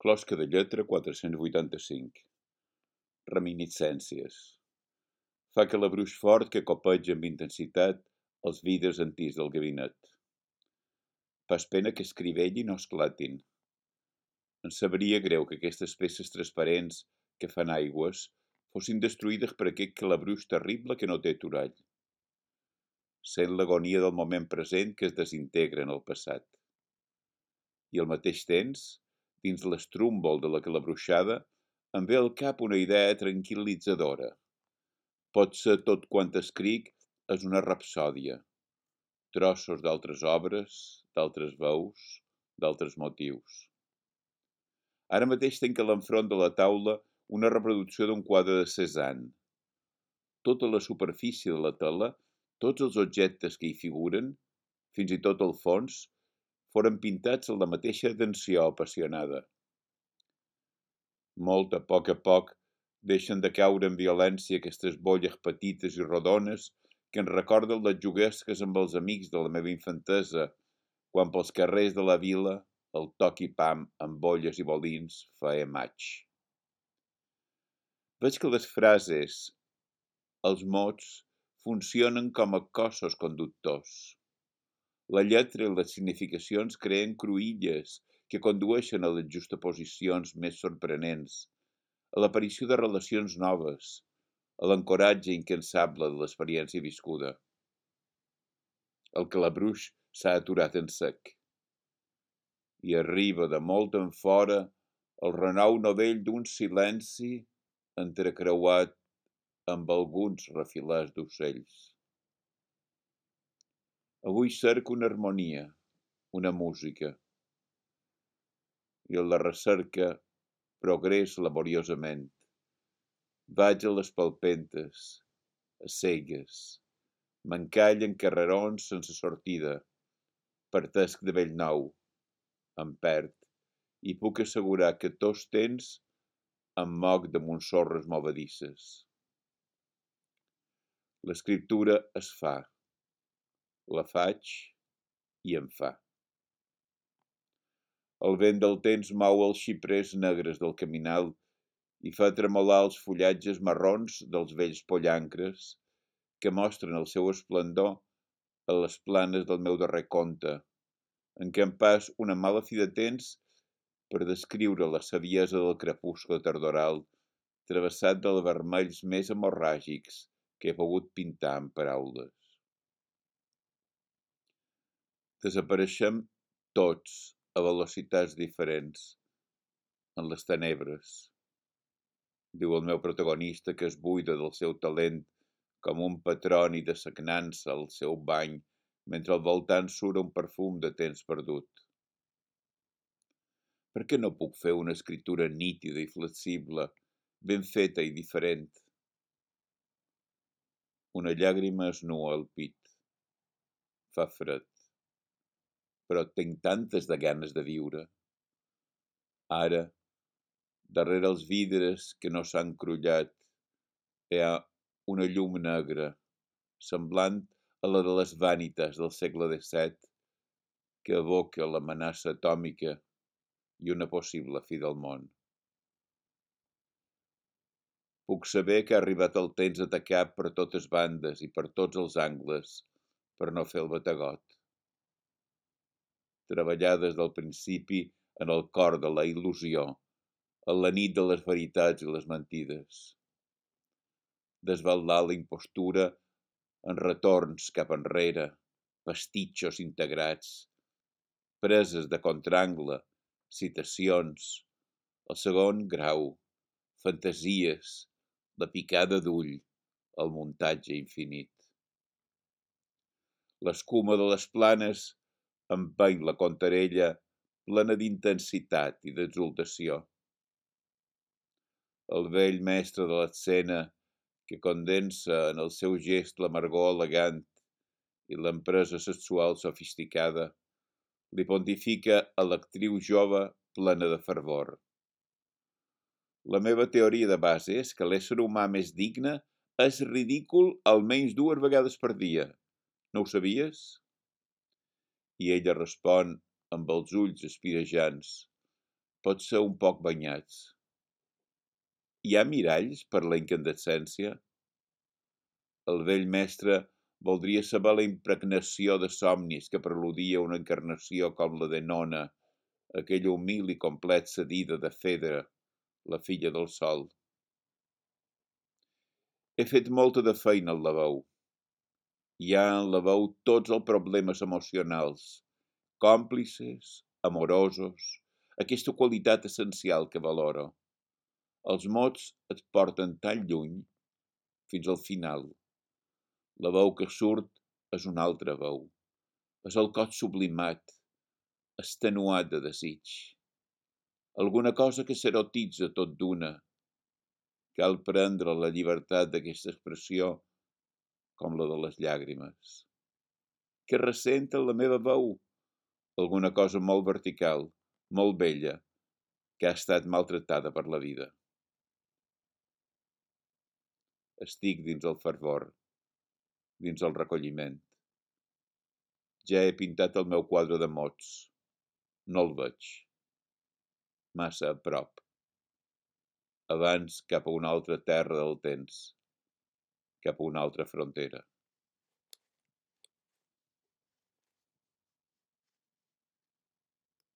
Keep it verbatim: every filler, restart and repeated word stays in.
Closca de lletra quatre-cents vuitanta-cinc. Reminiscències. Fa calabruix fort que copeja amb intensitat els vidres antics del gabinet. Fas pena que escrivelli no esclatin. Em sabria greu que aquestes peces transparents que fan aigües fossin destruïdes per aquest calabruix terrible que no té aturall. Sent l'agonia del moment present que es desintegra en el passat. I al mateix temps, dins l'estrúmbol de la calabruixada, em ve al cap una idea tranquil·litzadora. Potser tot quant escric és una rapsòdia, trossos d'altres obres, d'altres veus, d'altres motius. Ara mateix tinc a l'enfront de la taula una reproducció d'un quadre de Cézanne. Tota la superfície de la tela, tots els objectes que hi figuren, fins i tot el fons, foren pintats amb la mateixa atenció apassionada. Molt a poc a poc deixen de caure en violència aquestes bolles petites i rodones que ens recorden les juguesques amb els amics de la meva infantesa, quan pels carrers de la vila el toc i pam amb bolles i bolins feia maig. Veig que les frases, els mots, funcionen com a cossos conductors. La lletra i les significacions creen cruïlles que condueixen a les justaposicions més sorprenents, a l'aparició de relacions noves, a l'ancoratge incansable de l'experiència viscuda. El calabruix s'ha aturat en sec i arriba de molt en fora el renou novell d'un silenci entrecreuat amb alguns refilers d'ocells. Avui cerco una harmonia, una música, i en la recerca progrés laboriosament. Vaig a les palpentes, a cegues, m'encallen carrerons sense sortida, partesc de bell nou, em perd, i puc assegurar que tots temps em moc damunt sorres movedisses. L'escriptura es fa, la faig i em fa. El vent del temps mou els xiprers negres del caminal i fa tremolar els fullatges marrons dels vells pollancres que mostren el seu esplendor a les planes del meu darrer conte, en què em pas una mala fi de temps per descriure la saviesa del crepuscle tardoral travessat dels vermells més hemorràgics que he pogut pintar en paraules. Desapareixem tots a velocitats diferents en les tenebres, diu el meu protagonista, que es buida del seu talent com un patroni de sagnança al seu bany mentre al voltant surt un perfum de temps perdut. Per què no puc fer una escriptura nítida i flexible, ben feta i diferent? Una llàgrima es nua al pit. Fa fred. Però tinc tantes de ganes de viure. Ara, darrere els vidres que no s'han crullat, hi ha una llum negra, semblant a la de les vànites del segle disset, que evoca l'amenaça atòmica i una possible fi del món. Puc saber que ha arribat el temps d'atacar per totes bandes i per tots els angles, per no fer el bategot. Treballar des del principi en el cor de la il·lusió, en la nit de les veritats i les mentides. Desvelar la impostura en retorns cap enrere, pastitxos integrats, preses de contrangle, citacions, el segon grau, fantasies, la picada d'ull, el muntatge infinit. L'escuma de les planes empeny la contarella plena d'intensitat i d'exultació. El vell mestre de l'escena, que condensa en el seu gest l'amargor elegant i l'empresa sexual sofisticada, li pontifica a l'actriu jove plena de fervor. La meva teoria de base és que l'ésser humà més digne és ridícul almenys dues vegades per dia. No ho sabies? I ella respon amb els ulls espirejants. potser un poc banyats. Hi ha miralls per la incandescència? El vell mestre voldria saber la impregnació de somnis que preludia una encarnació com la de Nona, aquella humil i complexa dida de Fedra, la filla del sol. He fet molta de feina al lavabo. Hi ha en lavabo tots els problemes emocionals, còmplices, amorosos, aquesta qualitat essencial que valoro. Els mots et porten tan lluny, fins al final. La veu que surt és una altra veu. És el cos sublimat, extenuat de desig. Alguna cosa que s'erotitza tot d'una. Cal prendre la llibertat d'aquesta expressió com la de les llàgrimes. Que ressenta la meva veu? Alguna cosa molt vertical, molt bella, que ha estat maltratada per la vida. Estic dins el fervor, dins el recolliment. Ja he pintat el meu quadre de mots. No el veig. Massa a prop. Abans cap a una altra terra del temps, cap a una altra frontera.